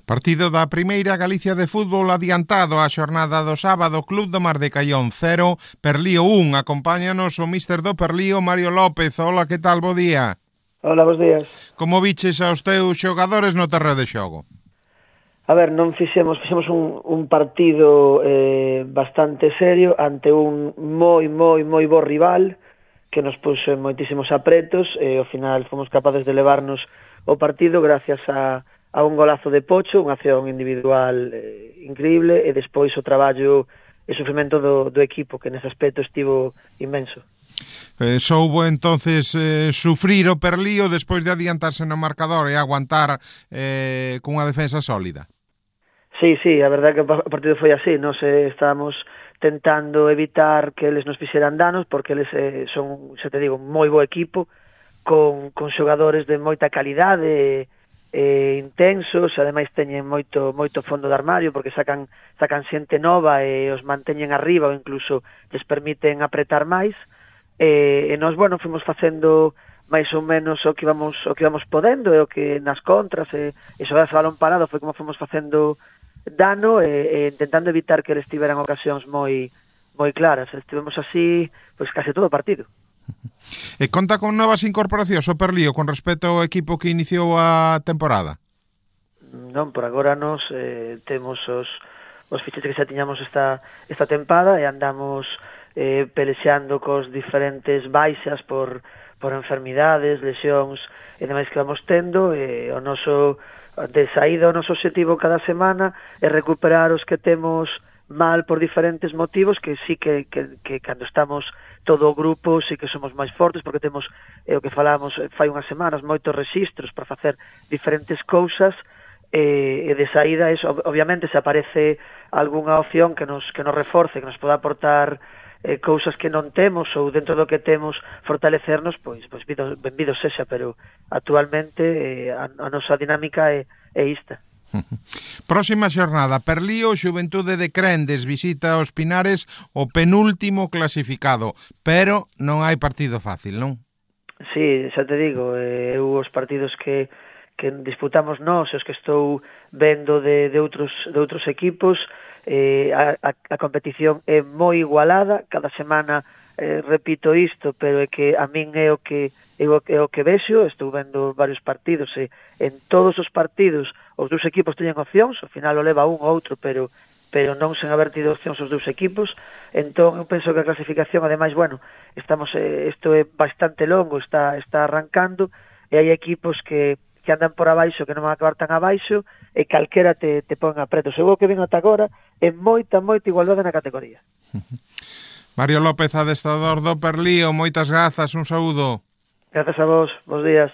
Partido da Primeira Galicia de fútbol adiantado a xornada do sábado. Club do Mar de Caión 0, Perlío 1. Acompáñanos o míster do Perlío, Mario López. Hola, que tal? Bo día. Hola, bos días. Como viches aos teus xogadores no terreo de xogo? A ver, non fixemos un partido bastante serio ante un moi bo rival que nos puxo en moitísimos apretos e ao final fomos capaces de levarnos o partido gracias a un golazo de Pocho, unha acción individual increíble, e despois o traballo e sufrimento do equipo, que nese aspecto estivo inmenso. Soubo entonces sufrir o Perlío despois de adiantarse no marcador e aguantar cunha defensa sólida. Sí, a verdade que o partido foi así. Nos estábamos tentando evitar que eles nos fixeran danos, porque eles son, xa te digo, un moi bo equipo, con xogadores de moita calidade, intensos, ademais teñen moito fondo de armario, porque sacan xente nova e os manteñen arriba, ou incluso les permiten apretar máis, e nós, bueno, fomos facendo máis ou menos o que íbamos podendo, e o que nas contras, e xogar a balón parado foi como fomos facendo dano, e intentando evitar que eles tiveran ocasións moi claras. Estivemos así, pois case todo o partido. E conta con novas incorporacións o Perlío con respecto ao equipo que iniciou a temporada? Non, por agora nos temos os fichajes que xa tiñamos esta tempada, e andamos pelexando cos diferentes baixas por enfermidades, lesións e demais que vamos tendo, e o noso de saída, o noso objetivo cada semana é recuperar os que temos mal por diferentes motivos, que sí que cando estamos todo o grupo sí que somos máis fortes, porque temos o que falamos fai unhas semanas, moitos rexistros para facer diferentes cousas, e de saída eso, obviamente, se aparece algunha opción que nos reforce, que nos poda aportar cousas que non temos, ou dentro do que temos fortalecernos, pois benvido sexa, pero actualmente a nosa dinámica é ista. Próxima xornada, Perlío, Xuventude de Crendes visita os Pinares, o penúltimo clasificado, pero non hai partido fácil, non? Sí, xa te digo, os partidos que disputamos nós, os que estou vendo de outros equipos, a competición é moi igualada. Cada semana repito isto, pero é que a min é o que vexo. Estou vendo varios partidos, e en todos os partidos os dous equipos teñen opcións, ao final o leva un ou outro, pero non sen haber tido opcións os dous equipos. Entón eu penso que a clasificación, ademais, bueno, isto é bastante longo, está arrancando, e hai equipos que andan por abaixo, que non van a acabar tan abaixo, e calquera te pon apretos. Eu o que ven ata agora é moita igualdade na categoría. Mario López, adestrador do Perlío, moitas grazas, un saúdo. Grazas a vos, bons días.